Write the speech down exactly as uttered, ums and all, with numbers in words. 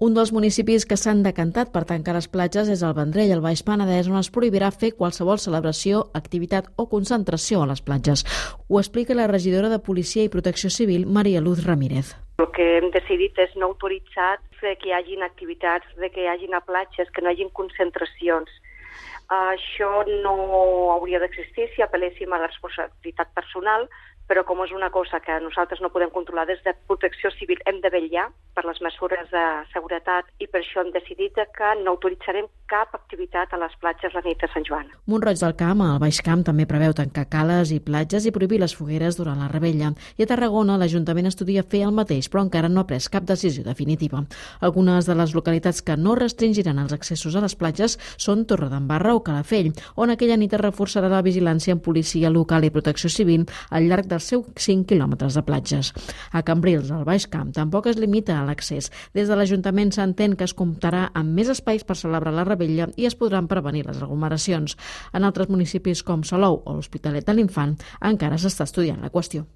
Un dels municipis que s'han decantat per tancar les platges és el Vendrell, al Baix Penedès, on es prohibirà fer qualsevol celebració, activitat o concentració a les platges. Ho explica la regidora de Policia i Protecció Civil, Maria Luz Ramírez. El que hem decidit és no autoritzar que hi hagin activitats, de que hi hagin a platges, que no hi hagin concentracions. Això no hauria d'existir si apel·léssim a la responsabilitat personal, però com és una cosa que nosaltres no podem controlar des de Protecció Civil, hem de vetllar per les mesures de seguretat i per això hem decidit que no autoritzarem cap activitat a les platges la nit de Sant Joan. Mont-roig del Camp, al Baix Camp, també preveu tancar cales i platges i prohibir les fogueres durant la revetlla. I a Tarragona l'Ajuntament estudia fer el mateix, però encara no ha pres cap decisió definitiva. Algunes de les localitats que no restringiran els accessos a les platges són Torredembarra o Calafell, on aquella nit es reforçarà la vigilància amb policia local i protecció civil al llarg dels seus cinc quilòmetres de platges. A Cambrils, al Baix Camp, tampoc es limita a l'accés. Des de l'Ajuntament s'entén que es comptarà amb més espais per celebrar la revetlla i es podran prevenir les aglomeracions. En altres municipis com Salou o l'Hospitalet de l'Infant encara s'està estudiant la qüestió.